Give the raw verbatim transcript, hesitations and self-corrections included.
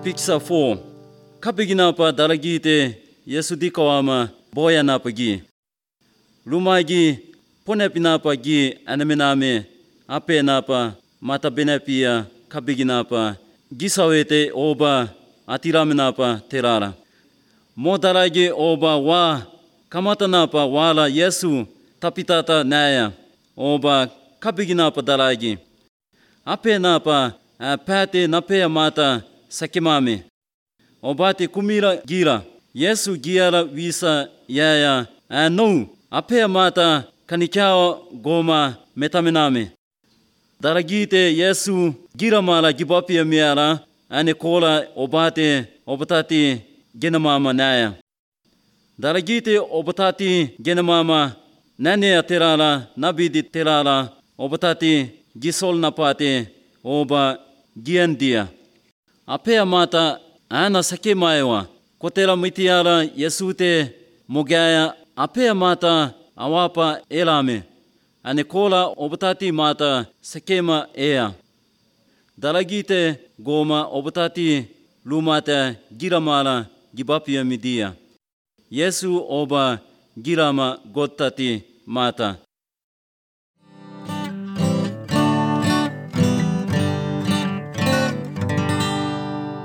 Picture four. Kapiginapa dalagite Yesu dikawama boyanapagi. Lumagi ponepinapagi anaminame apenapa matabenapia kapiginapa gisawete oba atiraminapa terara. Modalagi oba wa kamatanapa wala Yesu tapitata naya oba kapiginapa dalagi. Apenapa pate napea mata sakimame. Obate kumira gira. Yesu giara visa yaya anu apea mata kanikao goma metaminame. Daragite Yesu gira mala gibapia miara ane kola obate obatati genamama naya. Daragite obatati genamama nane terala nabidi terala obatati gisol napate oba giandia. Apea mata ana sakemaewa kotera mitiara Yesute mogaya apea mata awapa elame ane kola obatati mata sakema ea. Daragite goma obatati lumata giramala gibapia midia. Yesu oba girama gotati mata.